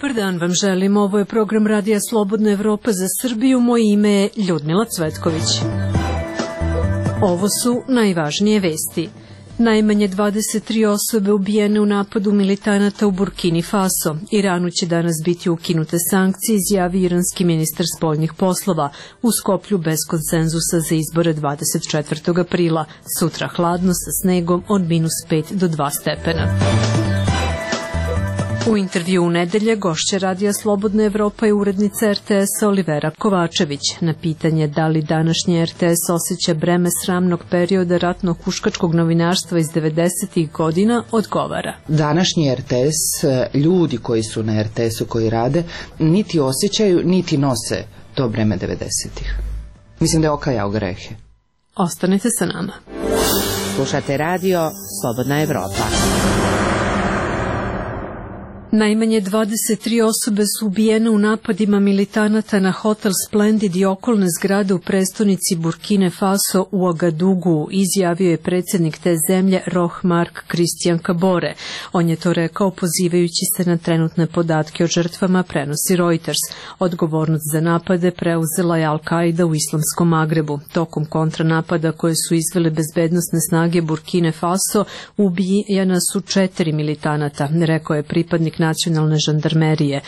Dobar dan vam želim, ovo je program Radija Slobodna Evropa za Srbiju, moje ime je Ljudmila Cvetković. Ovo su najvažnije vesti. Najmanje 23 osobe ubijene u napadu militanata u Burkini Faso. Iranu će danas biti ukinute sankcije, izjavi iranski ministar spoljnih poslova. U Skoplju bez konsenzusa za izbore 24. aprila. Sutra hladno sa snegom od -5 do 2 stepena. U intervju u nedelje gošća Radija Slobodna Evropa je urednica RTS-a Olivera Kovačević. Na pitanje da li današnji RTS osjeća breme sramnog perioda ratnog huškačkog novinarstva iz 90. godina, odgovara. Današnji RTS, ljudi koji su na RTS-u koji rade, niti osjećaju, niti nose to breme 90-ih. Mislim da je okajao grehe. Ostanite sa nama. Slušate radio Slobodna Evropa. Najmanje 23 osobe su ubijene u napadima militanata na hotel Splendid i okolne zgrade u prestonici Burkine Faso u Agadugu, izjavio je predsjednik te zemlje Roch Marc Christian Kabore. On je to rekao pozivajući se na trenutne podatke o žrtvama, prenosi Reuters. Odgovornost za napade preuzela je Al-Qaida u islamskom Magrebu. Tokom kontranapada koje su izvele bezbednosne snage Burkine Faso ubijena su 4 militanata, rekao je pripadnik nacionalne žandarmerije.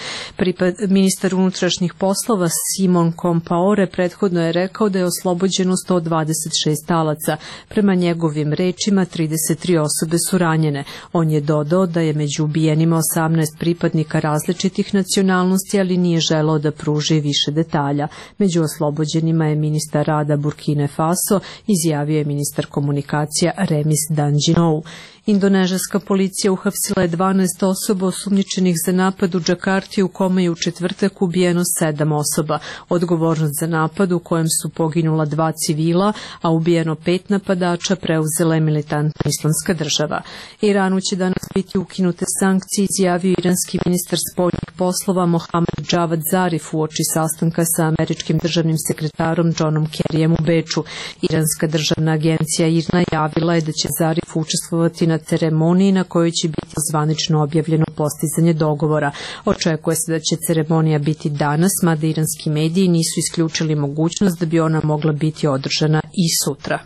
Ministar unutrašnjih poslova Simon Compaore prethodno je rekao da je oslobođeno 126 talaca. Prema njegovim rečima 33 osobe su ranjene. On je dodao da je među ubijenima 18 pripadnika različitih nacionalnosti, ali nije želeo da pruži više detalja. Među oslobođenima je ministar rada Burkine Faso, izjavio je ministar komunikacija Remis Danđinou. Indonežanska policija uhapsila je 12 osoba osumnjičenih za napad u Džakarti u kome je u četvrtak ubijeno 7 osoba. Odgovornost za napad u kojem su poginula 2 civila, a ubijeno 5 napadača preuzela je militantna islamska država. Iranu će danas biti ukinute sankcije, izjavio iranski ministar spoljnih poslova Mohamed Javad Zarif uoči sastanka sa američkim državnim sekretarom Johnom Kerryjem u Beču. Iranska državna agencija IRNA javila je da će Zarif učestvovati na ceremoniji na kojoj će biti zvanično objavljeno postizanje dogovora. Očekuje se da će ceremonija biti danas, mada iranski mediji nisu isključili mogućnost da bi ona mogla biti održana i sutra.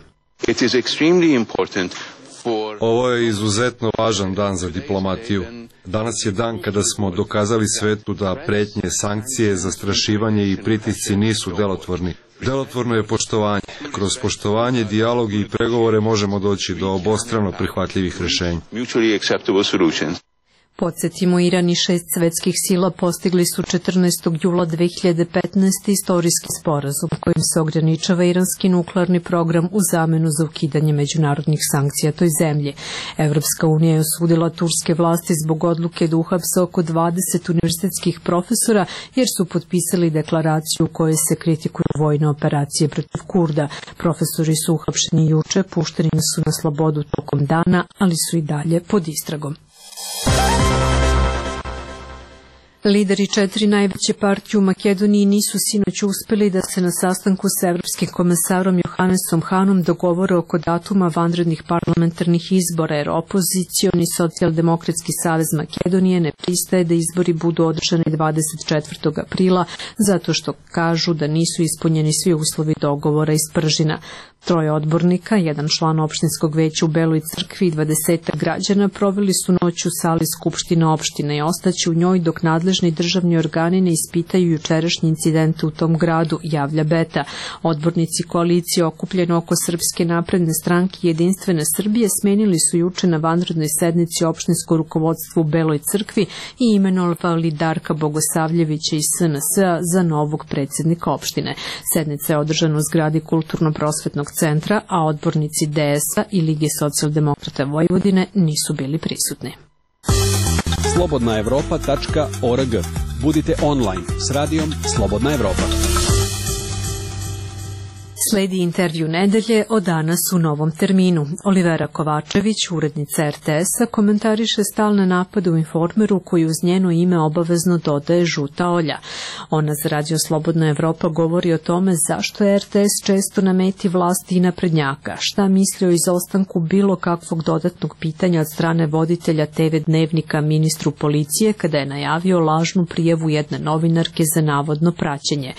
Ovo je izuzetno važan dan za diplomatiju. Danas je dan kada smo dokazali svetu da pretnje, sankcije, zastrašivanje i pritisci nisu delotvorni. Delotvorno je poštovanje. Kroz poštovanje, dijalog i pregovore možemo doći do obostrano prihvatljivih rješenja. Podsjetimo, Iran i 6 svetskih sila postigli su 14. jula 2015. istorijski sporazum kojim se ograničava iranski nuklearni program u zamenu za ukidanje međunarodnih sankcija toj zemlji. Evropska unija je osudila turske vlasti zbog odluke da uhapse oko 20 univerzitetskih profesora jer su potpisali deklaraciju u kojoj se kritikuju vojne operacije protiv Kurda. Profesori su uhapšeni juče, pušteni su na slobodu tokom dana, ali su i dalje pod istragom. Lideri 4 najveće partije u Makedoniji nisu sinoć uspeli da se na sastanku s evropskim komesarom Johannesom Hanom dogovore oko datuma vanrednih parlamentarnih izbora, jer opozicioni Socijaldemokratski savez Makedonije ne pristaje da izbori budu održani 24. aprila zato što kažu da nisu ispunjeni svi uslovi dogovora iz Pržina. 3 odbornika, 1 član opštinskog veća u Beloj Crkvi i 20 građana proveli su noć u sali Skupštine opštine i ostaće u njoj dok nadležni državni organi ne ispitaju jučerašnje incidente u tom gradu, javlja Beta. Odbornici koalicije okupljene oko Srpske napredne stranke i Jedinstvene Srbije smenili su juče na vanrednoj sednici opštinsko rukovodstvo u Beloj Crkvi i imenovali Darka Bogosavljevića iz SNS-a za novog predsjednika opštine. Sednica je održana u zgradi Kulturno-prosvetnog centra, a odbornici DS-a i Lige socijaldemokrata Vojvodine nisu bili prisutni. slobodnaevropa.org. Budite online s radijom Slobodna Evropa. Sledi intervju nedelje o danas u Novom terminu. Olivera Kovačević, urednica RTS-a, komentariše stalne napade u Informeru koji uz njeno ime obavezno dodaje žuta olja. Ona za Radio Slobodna Evropa govori o tome zašto je RTS često na meti vlasti i naprednjaka, šta misli o izostanku bilo kakvog dodatnog pitanja od strane voditelja TV Dnevnika ministru policije kada je najavio lažnu prijavu jedne novinarke za navodno praćenje.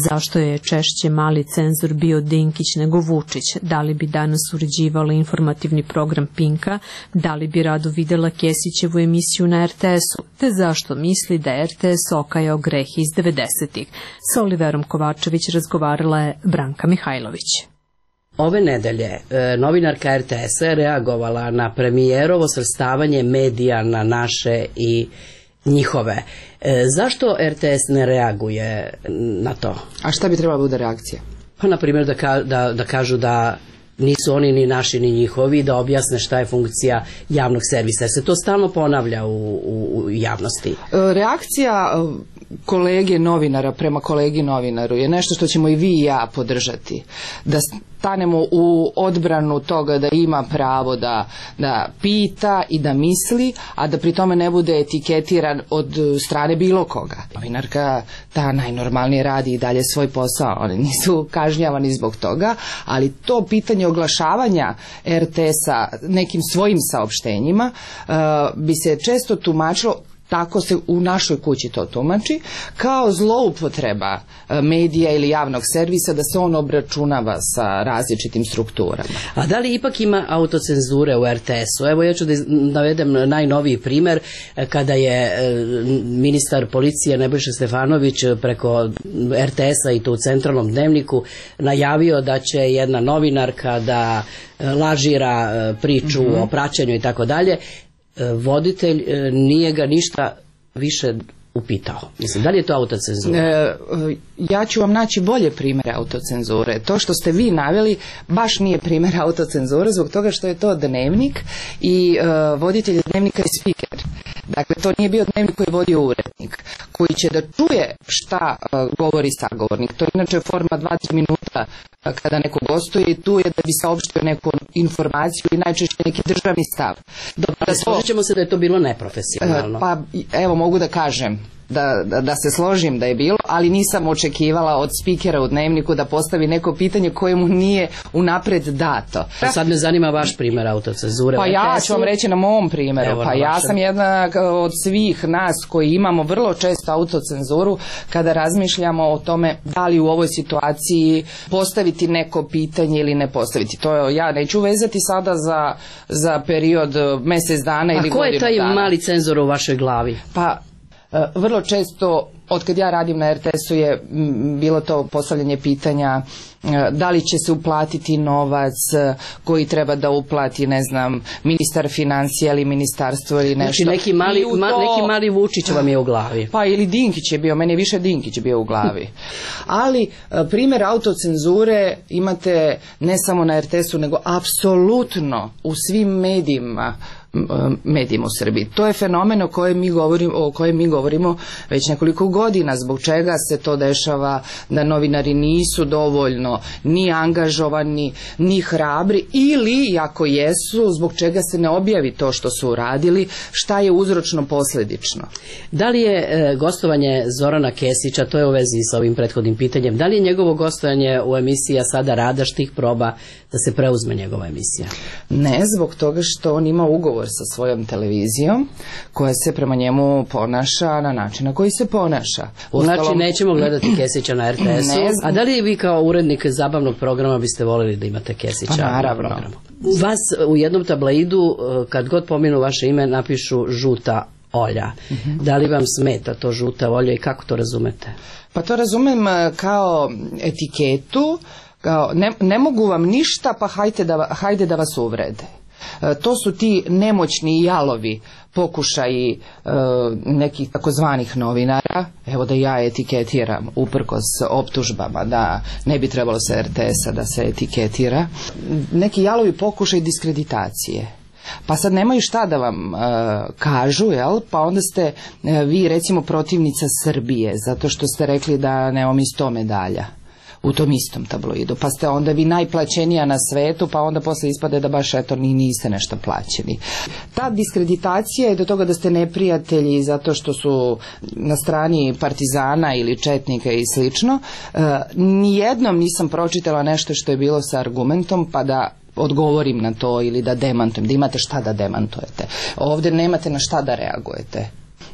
Zašto je češće mali cenzor bio Dinkić nego Vučić? Da li bi danas uređivala informativni program Pinka? Da li bi rado videla Kesićevu emisiju na RTS-u? Te zašto misli da je RTS okajao greh iz 90-ih? Sa Oliverom Kovačević razgovarala je Branka Mihajlović. Ove nedelje novinarka RTS-a je reagovala na premijerovo svrstavanje medija na naše i njihove. Zašto RTS ne reaguje na to? A šta bi trebala bude reakcija? Pa, na primjer, da kažu da nisu oni ni naši ni njihovi, da objasne šta je funkcija javnog servisa, jer se to stalno ponavlja u javnosti. Reakcija kolege novinara prema kolegi novinaru je nešto što ćemo i vi i ja podržati. Da stanemo u odbranu toga da ima pravo da pita i da misli, a da pri tome ne bude etiketiran od strane bilo koga. Novinarka ta najnormalnije radi i dalje svoj posao, oni nisu kažnjavani zbog toga, ali to pitanje oglašavanja RTS-a nekim svojim saopštenjima bi se često tumačilo, tako se u našoj kući to tumači, kao zloupotreba medija ili javnog servisa, da se on obračunava sa različitim strukturama. A da li ipak ima autocenzure u RTS-u? Evo, ja ću da navedem najnoviji primer, kada je ministar policije Nebojša Stefanović preko RTS-a i to u Centralnom dnevniku najavio da će jedna novinarka da lažira priču o praćenju i tako dalje. Voditelj nije ga ništa više upitao. Mislim, da li je to autocenzura? Ja ću vam naći bolje primjere autocenzure. To što ste vi naveli baš nije primjer autocenzure, zbog toga što je to dnevnik i voditelj dnevnika je spiker. Dakle, to nije bio dnevnik koji je vodio urednik, koji će da čuje šta govori sagovornik. To je inače forma 2-3 minuta kada neko gostuje i tu je da bi saopštio neku informaciju i najčešće neki državni stav. Dobro, složit ćemo se da je to bilo neprofesionalno. Pa evo, mogu da kažem da se složim da je bilo, ali nisam očekivala od spikera u dnevniku da postavi neko pitanje koje mu nije unapred dato. Sad me zanima vaš primjer autocenzure. Pa ja ću vam reći na mom primjeru. Evo, pa ja sam jedna od svih nas koji imamo vrlo često autocenzuru kada razmišljamo o tome da li u ovoj situaciji postaviti neko pitanje ili ne postaviti. To ja neću vezati sada za period mjesec dana ili godinu dana. A ko je taj mali cenzor u vašoj glavi? Pa vrlo često, od kad ja radim na RTS-u, je bilo to postavljanje pitanja da li će se uplatiti novac koji treba da uplati, ne znam, ministar financija ili ministarstvo ili nešto. Znači neki mali Vučić vam je u glavi. Pa ili Dinkić je bio, meni je više Dinkić bio u glavi. Ali primjer autocenzure imate ne samo na RTS-u, nego apsolutno u svim medijima u Srbiji. To je fenomen o kojem mi govorimo već nekoliko godina. Zbog čega se to dešava, da novinari nisu dovoljno ni angažovani, ni hrabri, ili ako jesu, zbog čega se ne objavi to što su uradili, šta je uzročno posljedično. Da li je gostovanje Zorana Kesića, to je u vezi sa ovim prethodnim pitanjem, da li je njegovo gostovanje u emisiji Sada Rada štih proba da se preuzme njegova emisija? Ne, zbog toga što on ima ugovor sa svojom televizijom koja se prema njemu ponaša na način na koji se ponaša. Znači nećemo gledati Kesića na RTS-u. A da li vi kao urednik zabavnog programa biste voljeli da imate Kesića na programu? Vas u jednom tabloidu, kad god pominu vaše ime, napišu žuta olja. Da li vam smeta to žuta olja i kako to razumete? Pa to razumem kao etiketu, kao ne mogu vam ništa, pa hajde da vas uvrede. To su ti nemoćni i jalovi pokušaji nekih takozvanih novinara, evo da ja etiketiram uprkos optužbama da ne bi trebalo sa RTS-a da se etiketira, neki jalovi pokušaj diskreditacije. Pa sad nemaju šta da vam kažu, jel? Pa onda ste vi recimo protivnica Srbije, zato što ste rekli da nemamo 100 medalja. u tom istom tabloidu, pa ste onda vi najplaćenija na svetu, pa onda posle ispade da baš eto niste nešto plaćeni. Ta diskreditacija je do toga da ste neprijatelji zato što su na strani partizana ili četnika i slično. Nijednom nisam pročitala nešto što je bilo sa argumentom pa da odgovorim na to ili da demantujem, da imate šta da demantujete. Ovdje nemate na šta da reagujete,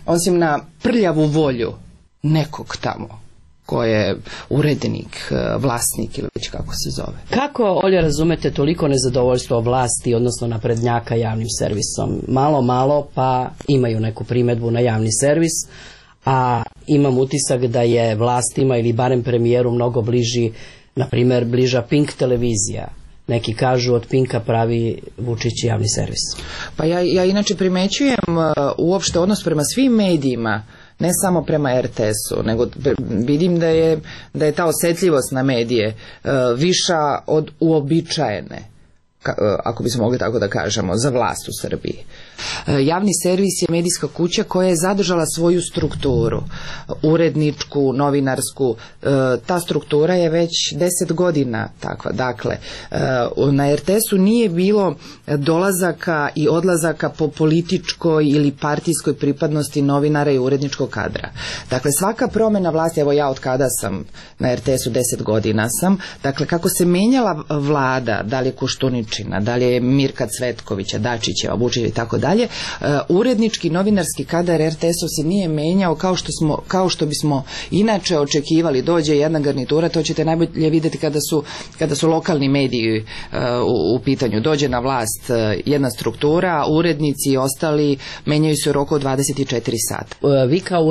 osim na prljavu volju nekog tamo ko je urednik, vlasnik ili već kako se zove. Kako, Olja, razumete toliko nezadovoljstvo vlasti, odnosno naprednjaka javnim servisom? Malo pa imaju neku primedbu na javni servis, a imam utisak da je vlastima ili barem premijeru mnogo na primjer bliža Pink televizija. Neki kažu od Pinka pravi Vučić javni servis. Pa ja inače primećujem uopšte odnos prema svim medijima, ne samo prema RTS-u, nego vidim da je ta osjetljivost na medije viša od uobičajene, ako bismo mogli tako da kažemo, za vlast u Srbiji. Javni servis je medijska kuća koja je zadržala svoju strukturu, uredničku, novinarsku. Ta struktura je već 10 godina takva. Dakle, na RTS-u nije bilo dolazaka i odlazaka po političkoj ili partijskoj pripadnosti novinara i uredničkog kadra. Dakle, svaka promjena vlasti, evo ja od kada sam na RTS-u 10 godina sam, dakle, kako se menjala vlada, da li je Koštuničina, da li je Mirka Cvetkovića, Dačićeva, Vučića i tako dalje, urednički novinarski kadar RTS-u se nije menjao kao što bismo inače očekivali. Dođe jedna garnitura, to ćete najbolje vidjeti kada su lokalni mediji u pitanju. Dođe na vlast jedna struktura, urednici i ostali menjaju se u roku od 24 sata. Vi kao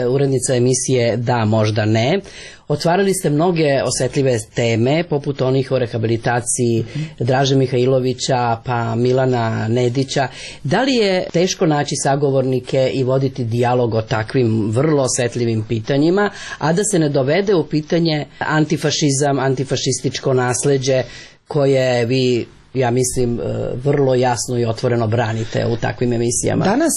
urednica emisije Da, možda ne, otvarali ste mnoge osetljive teme, poput onih o rehabilitaciji Draže Mihajlovića pa Milana Nedića. Da li je teško naći sagovornike i voditi dijalog o takvim vrlo osetljivim pitanjima, a da se ne dovede u pitanje antifašizam, antifašističko nasleđe koje vi, ja mislim, vrlo jasno i otvoreno branite u takvim emisijama? Danas,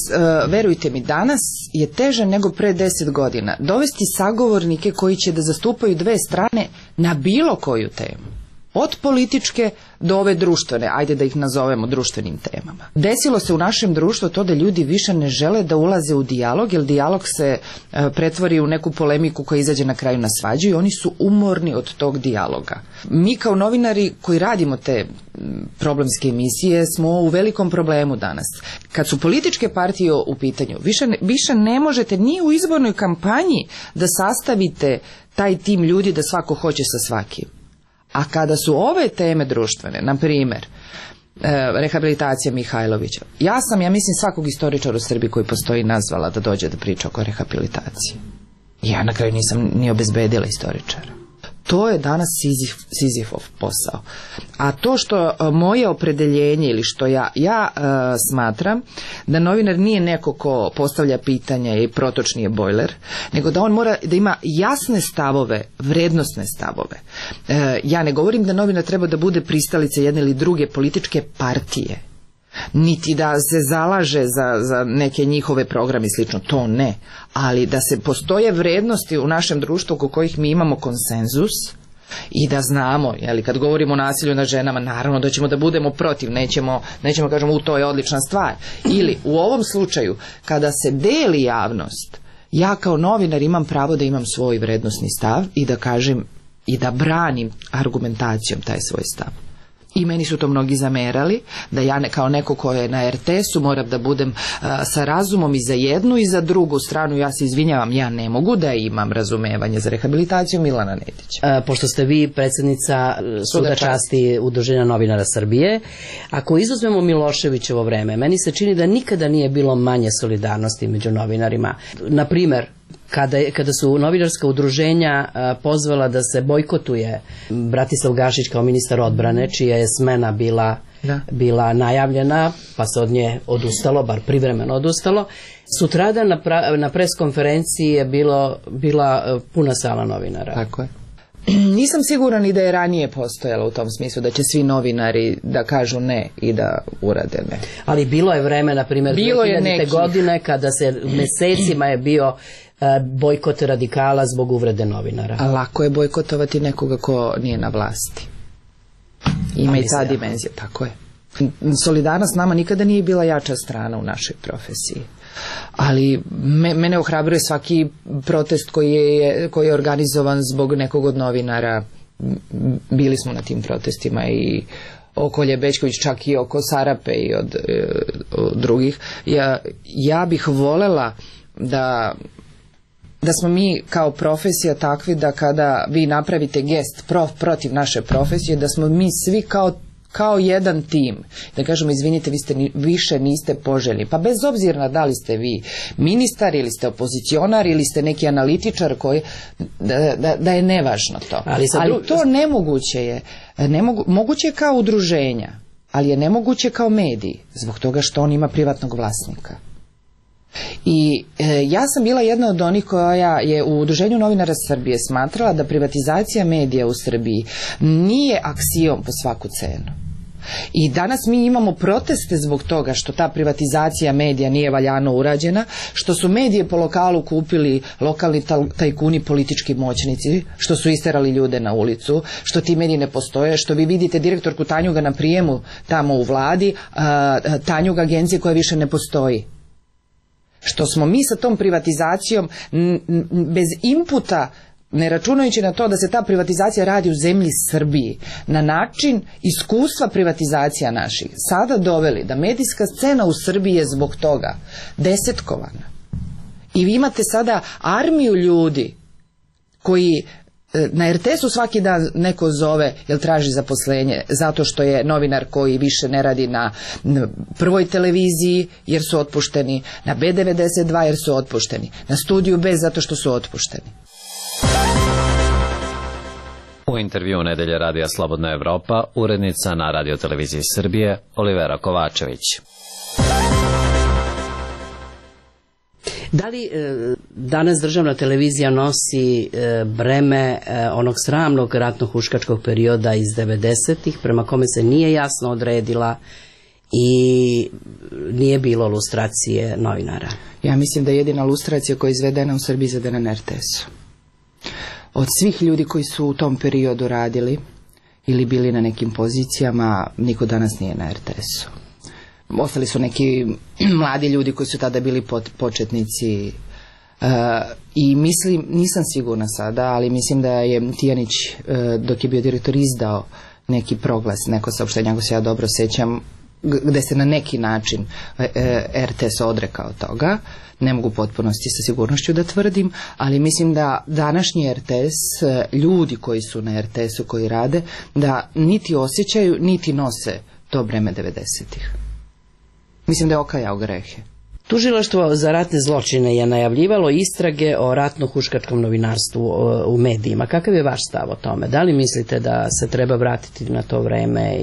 verujte mi, danas je teže nego pre 10 godina dovesti sagovornike koji će da zastupaju dve strane na bilo koju temu. Od političke do ove društvene, ajde da ih nazovemo društvenim temama. Desilo se u našem društvu to da ljudi više ne žele da ulaze u dijalog, jer dijalog se pretvori u neku polemiku koja izađe na kraju na svađu i oni su umorni od tog dijaloga. Mi kao novinari koji radimo te problemske emisije smo u velikom problemu danas. Kad su političke partije u pitanju, više ne možete ni u izbornoj kampanji da sastavite taj tim ljudi da svako hoće sa svakim. A kada su ove teme društvene, na primjer, rehabilitacija Mihajlovića, ja mislim svakog istoričara u Srbiji koji postoji nazvala da dođe da priča oko rehabilitacije. Ja na kraju nisam ni obezbedila istoričara. To je danas Sizifov posao. A to što moje opredeljenje ili što ja smatram da novinar nije neko ko postavlja pitanja i protočni je bojler, nego da on mora da ima jasne stavove, vrednosne stavove. Ja ne govorim da novinar treba da bude pristalica jedne ili druge političke partije, niti da se zalaže za neke njihove programe i slično, to ne, ali da se postoje vrednosti u našem društvu oko kojih mi imamo konsenzus i da znamo, kad govorimo o nasilju nad ženama, naravno da ćemo da budemo protiv, nećemo kažemo to je odlična stvar, ili u ovom slučaju kada se deli javnost, ja kao novinar imam pravo da imam svoj vrednosni stav i da kažem i da branim argumentacijom taj svoj stav. I meni su to mnogi zamerali, da ja kao neko ko je na RTS-u moram da budem sa razumom i za jednu i za drugu stranu. Ja se izvinjavam, ja ne mogu da imam razumevanje za rehabilitaciju Milana Nedića. Pošto ste vi predsjednica Suda časti Udruženja novinara Srbije, ako izuzmemo Miloševićevo vreme, meni se čini da nikada nije bilo manje solidarnosti među novinarima. Na primjer, kada su novinarska udruženja pozvala da se bojkotuje Bratislav Gašić kao ministar odbrane, čija je smena bila najavljena, pa se od nje odustalo, bar privremeno odustalo, sutradan na pres konferenciji je bila puna sala novinara. Tako je. Nisam siguran i da je ranije postojalo u tom smislu da će svi novinari da kažu ne i da urade ne. Ali bilo je vreme, na primjer, 2000. godine kada se mesecima je bio bojkot radikala zbog uvrede novinara. A lako je bojkotovati nekoga ko nije na vlasti. Ima i ta dimenzija, tako je. Solidarnost nama nikada nije bila jača strana u našoj profesiji. Ali mene ohrabruje svaki protest koji je organizovan zbog nekog od novinara. Bili smo na tim protestima i oko Ljebečković, čak i oko Sarape i od drugih. Ja bih volela da smo mi kao profesija takvi da kada vi napravite gest protiv naše profesije, da smo mi svi kao jedan tim, da kažemo izvinite, vi više niste poželjni, pa bez obzira da li ste vi ministar ili ste opozicionar ili ste neki analitičar koji da je nevažno to, ali to nemoguće je, moguće je kao udruženja, ali je nemoguće kao mediji, zbog toga što on ima privatnog vlasnika. I ja sam bila jedna od onih koja je u Udruženju novinara Srbije smatrala da privatizacija medija u Srbiji nije aksiom po svaku cenu. I danas mi imamo proteste zbog toga što ta privatizacija medija nije valjano urađena, što su medije po lokalu kupili lokalni tajkuni, politički moćnici, što su isterali ljude na ulicu, što ti mediji ne postoje, što vi vidite direktorku Tanjuga na prijemu tamo u vladi, Tanjuga agencije koja više ne postoji. Što smo mi sa tom privatizacijom bez inputa, ne računajući na to da se ta privatizacija radi u zemlji Srbiji, na način iskustva privatizacija naših, sada doveli da medijska scena u Srbiji je zbog toga desetkovana. I vi imate sada armiju ljudi koji na RTS-u svaki dan neko zove jer traži zaposlenje zato što je novinar koji više ne radi na Prvoj televiziji jer su otpušteni, na B92 jer su otpušteni, na Studiju B zato što su otpušteni. U intervju Nedelje radija Slobodna Evropa, urednica na Radio-televiziji Srbije Olivera Kovačević. Da li danas državna televizija nosi breme onog sramnog ratno-huškačkog perioda iz 90-ih, prema kome se nije jasno odredila i nije bilo lustracije novinara? Ja mislim da je jedina lustracija koja je izvedena u Srbiji izvedena na RTS-u. Od svih ljudi koji su u tom periodu radili ili bili na nekim pozicijama, niko danas nije na RTS-u. Ostali su neki mladi ljudi koji su tada bili početnici i mislim, nisam sigurna sada, ali mislim da je Tijanić dok je bio direktor izdao neki proglas, neko saopštenje, ako se ja dobro sećam, gde se na neki način RTS odrekao toga. Ne mogu u potpunosti sa sigurnošću da tvrdim, ali mislim da današnji RTS, ljudi koji su na RTS-u koji rade, da niti osjećaju, niti nose to breme 90-ih. Mislim da je okajao grehe. Tužilaštvo za ratne zločine je najavljivalo istrage o ratno-huškačkom novinarstvu u medijima. Kakav je vaš stav o tome? Da li mislite da se treba vratiti na to vreme?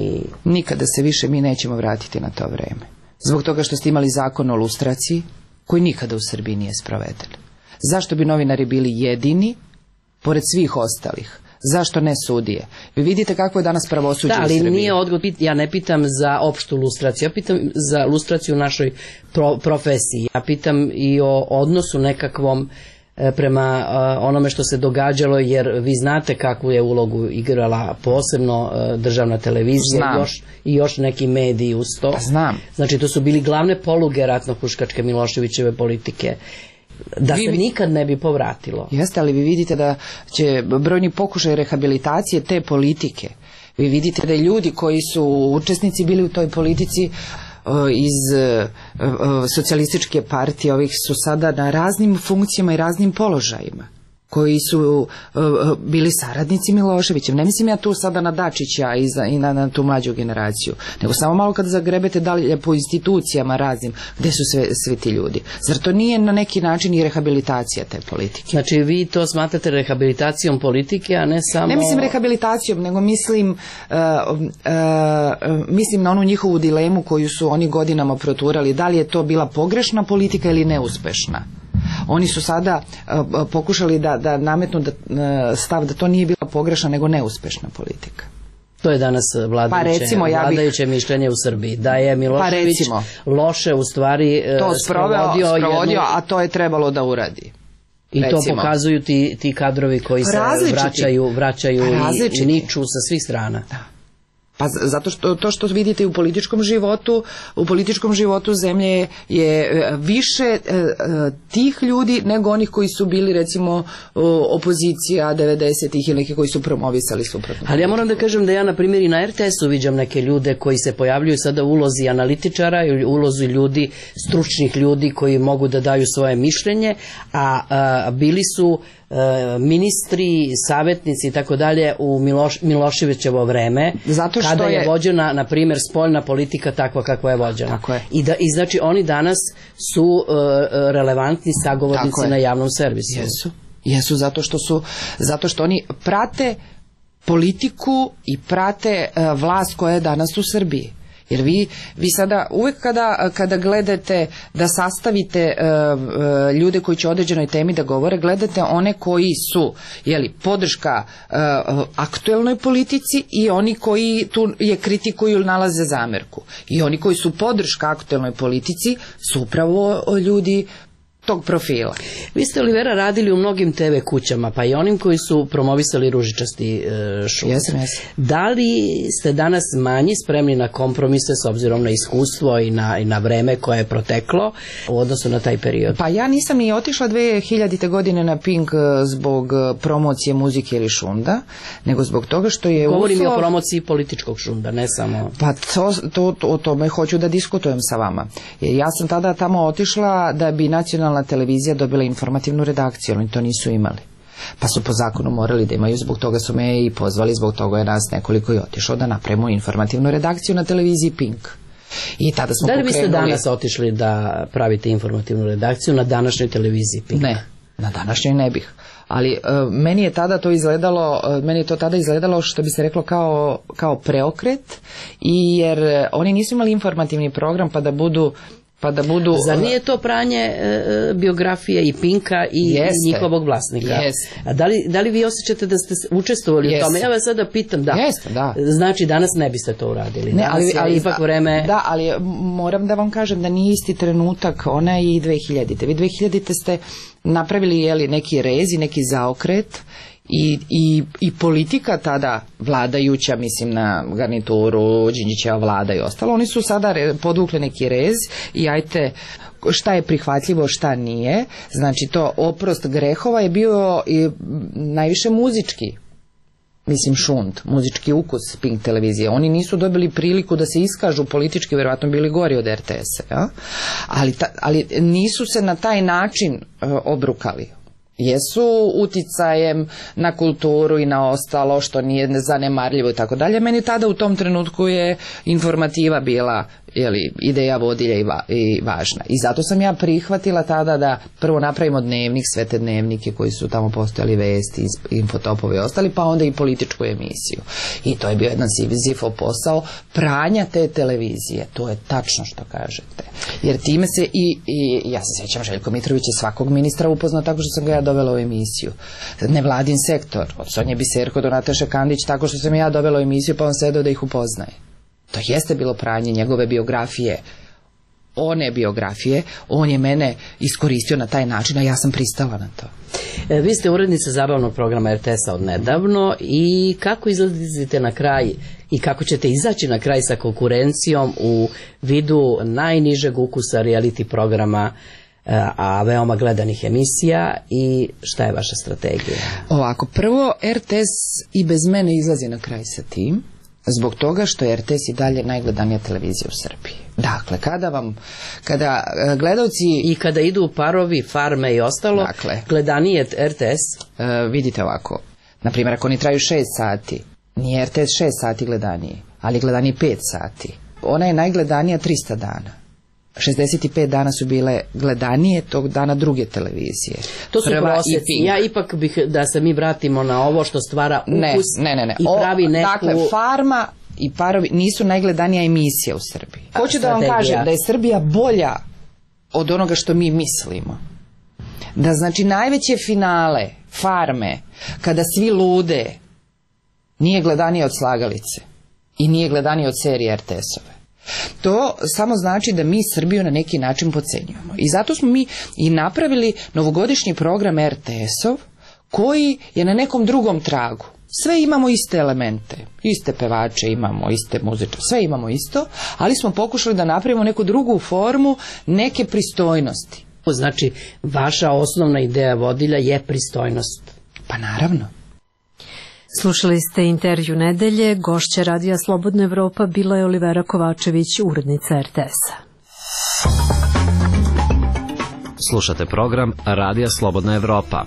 Nikada se više mi nećemo vratiti na to vreme. Zbog toga što ste imali zakon o lustraciji, koji nikada u Srbiji nije sproveden. Zašto bi novinari bili jedini, pored svih ostalih? Zašto ne sudije? Vi vidite kako je danas pravosuđe u Srbiji. Da, ali nije odgovor, ja ne pitam za opštu lustraciju, ja pitam za lustraciju u našoj profesiji. Ja pitam i o odnosu nekakvom prema onome što se događalo, jer vi znate kakvu je ulogu igrala posebno državna televizija i još neki mediji uz to. Znam. Znači to su bili glavne poluge ratno-huškačke Miloševićeve politike. Da se nikad ne bi povratilo. Jeste, ali vi vidite da će brojni pokušaj rehabilitacije te politike. Vi vidite da ljudi koji su učesnici bili u toj politici iz socijalističke partije, ovih su sada na raznim funkcijama i raznim položajima, koji su bili saradnici Miloševića. Ne mislim ja tu sada na Dačića i na tu mlađu generaciju, nego samo malo kad zagrebete dalje po institucijama raznim, gde su svi ti ljudi. Zar to nije na neki način i rehabilitacija te politike? Znači vi to smatrate rehabilitacijom politike, a ne samo... Ne mislim rehabilitacijom, nego mislim na onu njihovu dilemu koju su oni godinama proturali, da li je to bila pogrešna politika ili neuspešna. Oni su sada pokušali da nametnu stav da to nije bila pogrešna nego neuspešna politika. To je danas vladajuće mišljenje u Srbiji, da je Milošević loše u stvari to sprovodio, a to je trebalo da uradi. I to recimo. pokazuju ti kadrovi koji se vraćaju i niču sa svih strana. Da. Pa zato što to što vidite u političkom životu zemlje je više tih ljudi nego onih koji su bili recimo opozicija 90-ih ili neki koji su promovisali suprotno. Ali ja moram da kažem da ja na primjer i na RTS-u viđam neke ljude koji se pojavljuju sada u ulozi analitičara ili ulozi ljudi, stručnih ljudi koji mogu da daju svoje mišljenje, a bili su ministri, savjetnici i tako dalje u Miloševićevo vreme, kada je vođena, na primjer, spoljna politika takva kakva je vođena. I znači oni danas su relevantni sagovornici na javnom servisu. Jesu zato što oni prate politiku i prate vlast koja je danas u Srbiji. Jer vi sada uvek kada gledate da sastavite ljude koji će o određenoj temi da govore, gledate one koji su podrška aktuelnoj politici i oni koji tu je kritikuju ili nalaze zamerku. I oni koji su podrška aktuelnoj politici su upravo ljudi tog profila. Vi ste, Olivera, radili u mnogim TV kućama, pa i onim koji su promovisali ružičasti šum. Jesam. Da li ste danas manji spremni na kompromise s obzirom na iskustvo i na vreme koje je proteklo u odnosu na taj period? Pa ja nisam ni otišla 2000. godine na Pink zbog promocije muzike ili šunda, nego zbog toga što je Govorim i o promociji političkog šunda, ne samo... Pa o tome hoću da diskutujem sa vama. Ja sam tada tamo otišla da bi nacionalna televizija dobila informativnu redakciju, oni to nisu imali. Pa su po zakonu morali da imaju, zbog toga su me i pozvali, zbog toga je nas nekoliko i otišao da napravimo informativnu redakciju na televiziji Pink. I tada smo pokrenuli... Da li biste danas otišli da pravite informativnu redakciju na današnjoj televiziji Pink? Ne, na današnjoj ne bih. Ali meni je to tada izgledalo što bi se reklo kao preokret, jer oni nisu imali informativni program pa da budu... Zar nije to pranje biografije i Pinka i njihovog vlasnika? A da li vi osjećate da ste učestvovali u tome? Ja vas sada pitam, da. Znači danas ne biste to uradili. Ali ipak vreme... Da, ali moram da vam kažem da nije isti trenutak, ona i 2000. Vi 2000. ste napravili neki rez i neki zaokret i politika tada vladajuća, mislim na garnituru, Đinđićeva vlada i ostalo, oni su sada podvukli neki rez i ajte šta je prihvatljivo, šta nije. Znači to oprost grehova je bio i najviše muzički, mislim šund, muzički ukus Pink televizije. Oni nisu dobili priliku da se iskažu politički, verovatno bili gori od RTS-a, ali nisu se na taj način obrukali. Jesu uticajem na kulturu i na ostalo što nije zanemarljivo i tako dalje. Meni tada u tom trenutku je informativa bila ideja vodilja i važna. I zato sam ja prihvatila tada da prvo napravimo dnevnik, sve te dnevnike koji su tamo postojali, vesti, infotopove i ostali, pa onda i političku emisiju. I to je bio jedan Sizifov posao pranja te televizije. To je tačno što kažete. Jer time se i ja se sjećam, Željko Mitrović je svakog ministra upoznao tako što sam ga ja dovela u emisiju. Nevladin sektor, od Sonje Biserko do Nataše Kandić, tako što sam ja dovela u emisiju pa on sedao da ih upoznaje. To jeste bilo pranje njegove biografije, on je mene iskoristio na taj način, a ja sam pristala na to. Vi ste urednica zabavnog programa RTS-a od nedavno i kako izlazite na kraj i kako ćete izaći na kraj sa konkurencijom u vidu najnižeg ukusa reality programa, a veoma gledanih emisija, i šta je vaša strategija? Ovako, prvo RTS i bez mene izlazi na kraj sa tim, zbog toga što je RTS i dalje najgledanija televizija u Srbiji. Dakle, kada gledalci... I kada idu parovi, farme i ostalo, gledanije RTS? Vidite ovako, na primjer, ako oni traju 6 sati, nije RTS 6 sati gledaniji, ali gledaniji 5 sati. Ona je najgledanija 300 dana. 65 dana su bile gledanije tog dana druge televizije. To su prosjeci. Ja ipak bih da se mi vratimo na ovo što stvara ukus i pravi neku... Dakle, farma i parovi nisu najgledanija emisija u Srbiji. Hoću da vam kažem da je Srbija bolja od onoga što mi mislimo. Da znači najveće finale farme, kada svi lude, nije gledanije od Slagalice i nije gledanije od serije RTS-ove. To samo znači da mi Srbiju na neki način podcenjujemo. I zato smo mi i napravili novogodišnji program RTS-ov koji je na nekom drugom tragu. Sve imamo iste elemente, iste pevače imamo, iste muzičare, sve imamo isto, ali smo pokušali da napravimo neku drugu formu, neke pristojnosti. Znači, vaša osnovna ideja vodilja je pristojnost. Pa naravno. Slušali ste intervju nedelje, gošća Radija Slobodna Evropa bila je Olivera Kovačević, urednica RTS-a. Slušate program Radija Slobodna Evropa.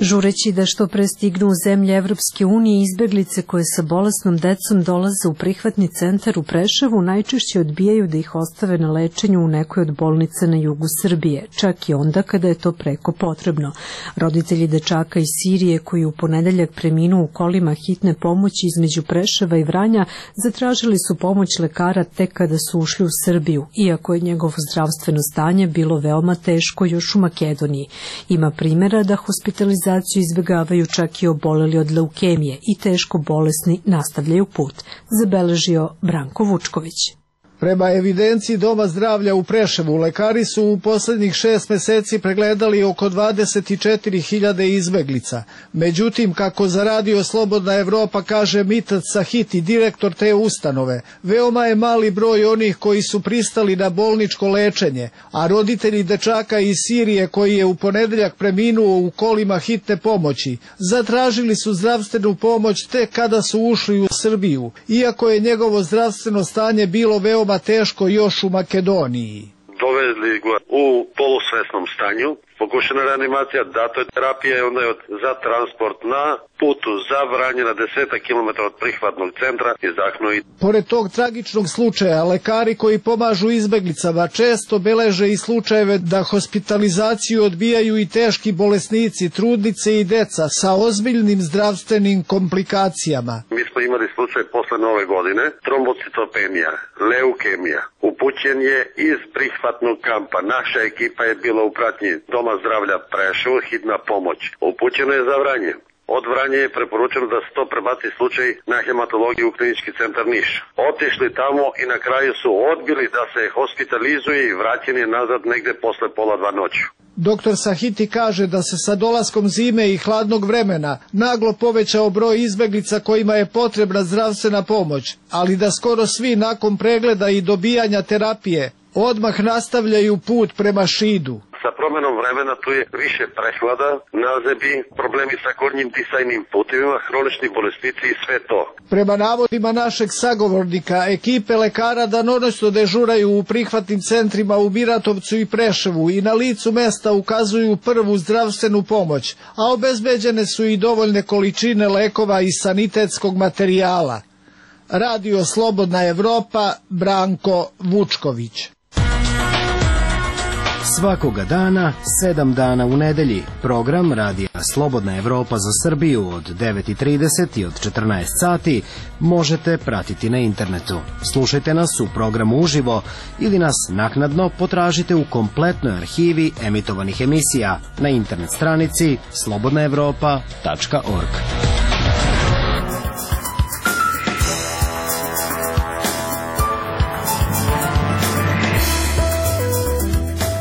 Žureći da što pre stignu u zemlje Evropske unije, izbeglice koje sa bolesnom decom dolaze u prihvatni centar u Preševu najčešće odbijaju da ih ostave na lečenju u nekoj od bolnica na jugu Srbije, čak i onda kada je to preko potrebno. Roditelji dečaka iz Sirije koji u ponedeljak preminu u kolima hitne pomoći između Preševa i Vranja zatražili su pomoć lekara tek kada su ušli u Srbiju, iako je njegovo zdravstveno stanje bilo veoma teško još u Makedoniji. Ima primjera da hospitalizaciju izbjegavaju čak i oboleli od leukemije i teško bolesni nastavljaju put, zabeležio Branko Vučković. Prema evidenciji Doma zdravlja u Preševu, lekari su u poslednjih 6 meseci pregledali oko 24.000 izbeglica. Međutim, kako za Radio Slobodna Evropa kaže Mitat Sahiti, direktor te ustanove, veoma je mali broj onih koji su pristali na bolničko lečenje, a roditelji dečaka iz Sirije koji je u ponedeljak preminuo u kolima hitne pomoći, zatražili su zdravstvenu pomoć tek kada su ušli u Srbiju, iako je njegovo zdravstveno stanje bilo veoma teško još u Makedoniji. Dovezli ga u polusvesnom stanju, pokušana reanimacija, dato je terapija i onda je za transport na putu za Vranje na 10 km od prihvatnog centra izdahnuo. Pored tog tragičnog slučaja, lekari koji pomažu izbeglicama često beleže i slučajeve da hospitalizaciju odbijaju i teški bolesnici, trudnice i deca sa ozbiljnim zdravstvenim komplikacijama. Mi smo imali slučaj posle nove godine, trombocitopenija, leukemija. Upućen je iz prihvatnog kampa. Naša ekipa je bila u pratnji Doma zdravlja Preševo, hitna pomoć. Upućeno je za Vranje. Od Vranja je preporučeno da se to prebaci slučaj na hematologiju u klinički centar Niš. Otišli tamo i na kraju su odbili da se hospitalizuje i vraćen je nazad negde posle 1:30 noću. Doktor Sahiti kaže da se sa dolaskom zime i hladnog vremena naglo povećao broj izbeglica kojima je potrebna zdravstvena pomoć, ali da skoro svi nakon pregleda i dobijanja terapije odmah nastavljaju put prema Šidu. Sa promenom vremena tu je više prehlada, nazebi, problemi sa gornjim disajnim putevima, hronični bolesnici i sve to. Prema navodima našeg sagovornika, ekipe lekara danonoćno dežuraju u prihvatnim centrima u Biratovcu i Preševu i na licu mesta ukazuju prvu zdravstvenu pomoć, a obezbeđene su i dovoljne količine lekova i sanitetskog materijala. Radio Slobodna Evropa, Branko Vučković. Svakoga dana, 7 dana u nedelji, program Radija Slobodna Evropa za Srbiju od 9:30 i od 14 sati možete pratiti na internetu. Slušajte nas u programu uživo ili nas naknadno potražite u kompletnoj arhivi emitovanih emisija na internet stranici slobodnaevropa.org.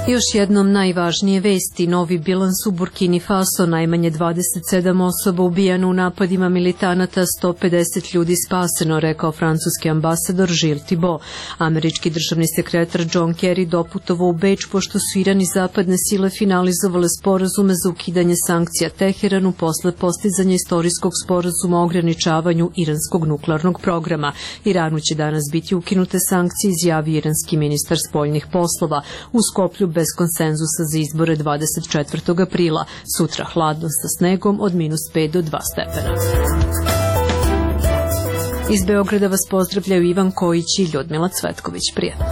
Još jednom najvažnije vesti, novi bilans u Burkini Faso, najmanje 27 osoba ubijano u napadima militanata, 150 ljudi spaseno, rekao francuski ambasador Gilles Thibault. Američki državni sekretar John Kerry doputovao u Beč pošto su Iran i zapadne sile finalizovale sporazume za ukidanje sankcija Teheranu posle postizanja istorijskog sporazuma o ograničavanju iranskog nuklearnog programa. Iranu će danas biti ukinute sankcije, izjavio iranski ministar spoljnih poslova. U Skoplju bez konsenzusa za izbore 24. aprila. Sutra hladno sa snegom od -5 do 2 stepena. Iz Beograda vas pozdravljaju Ivan Kojić i Ljudmila Cvetković. Prijatno.